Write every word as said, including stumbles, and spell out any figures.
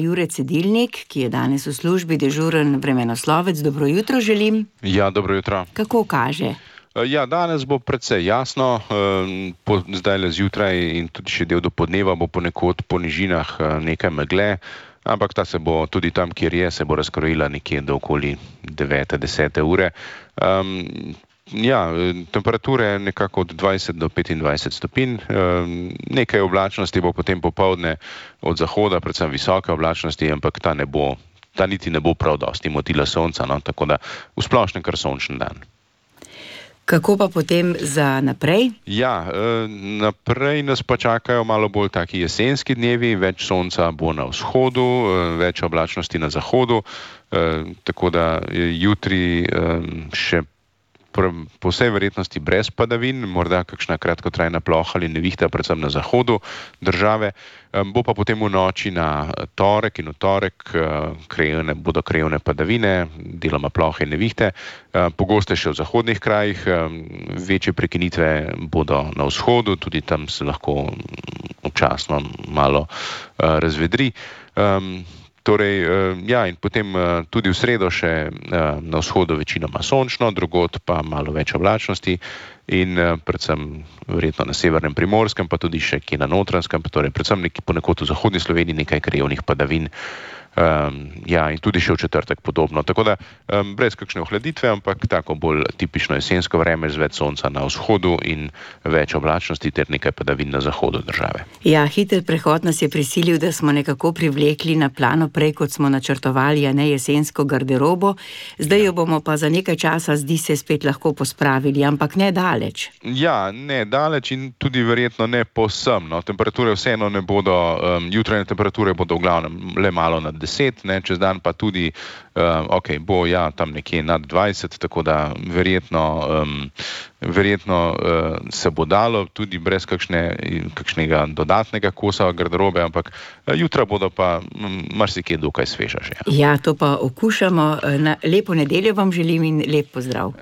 Jure Cedilnik, ki je danes v službi dežuren vremenoslovec. Dobro jutro želim. Ja, dobro jutro. Kako kaže? Ja, danes bo precej jasno, po, zdajle zjutraj in tudi še del dopoldneva bo ponekod po nižinah nekaj megle, ampak ta se bo tudi tam, kjer je, se bo razkrojila nekje do okoli devete, desete ure. Um, ja, temperature nekako od dvajset do petindvajset stopinj, um, nekaj oblačnosti bo potem popoldne od zahoda, predvsem visoke oblačnosti, ampak ta ne bo, ta niti ne bo prav dosti motila sonca, no, tako da v splošnem kar sončen dan. Kako pa potem za naprej? Ja, naprej nas pa čakajo malo bolj taki jesenski dnevi, več sonca bo na vzhodu, več oblačnosti na zahodu, tako da jutri še po vsej verjetnosti brez padavin, morda kakšna kratkotrajna ploha ali nevihta, predvsem na zahodu države. Bo pa potem v noči na torek in v torek krajevne, bodo krajevne padavine, deloma plohe in nevihte, pogoste še v zahodnih krajih, večje prekinitve bodo na vzhodu, tudi tam se lahko občasno malo razvedri. Torej, ja, in potem tudi v sredo še na vzhodu večinoma sončno, drugod pa malo več oblačnosti in predvsem verjetno na severnem Primorskem, pa tudi še kje na Notranjskem, torej predvsem nekje ponekod v zahodni Sloveniji nekaj krajevnih padavin. Um, ja, in tudi še v četrtek podobno. Tako da um, brez kakšne ohladitve, ampak tako bolj tipično jesensko vreme z več sonca na vzhodu in več oblačnosti ter nekaj padavin na zahodu države. Ja, hiter prehod nas je prisilil, da smo nekako privlekli na plano prej, kot smo načrtovali, a ne jesensko garderobo. Zdaj jo bomo pa za nekaj časa, zdi se, spet lahko pospravili, ampak ne daleč. Ja, ne daleč in tudi verjetno ne povsem. No. Temperature vseeno ne bodo, um, jutranje temperature bodo v glavnem le malo nad deset, ne, čez dan pa tudi, uh, ok, bo ja tam nekje nad dvajset, tako da verjetno, um, verjetno uh, se bo dalo tudi brez kakšne, kakšnega dodatnega kosa garderobe, ampak uh, jutra bodo pa um, marsikje dokaj sveža že. Ja, to pa okušamo. Na lepo nedeljo vam želim in lep pozdrav.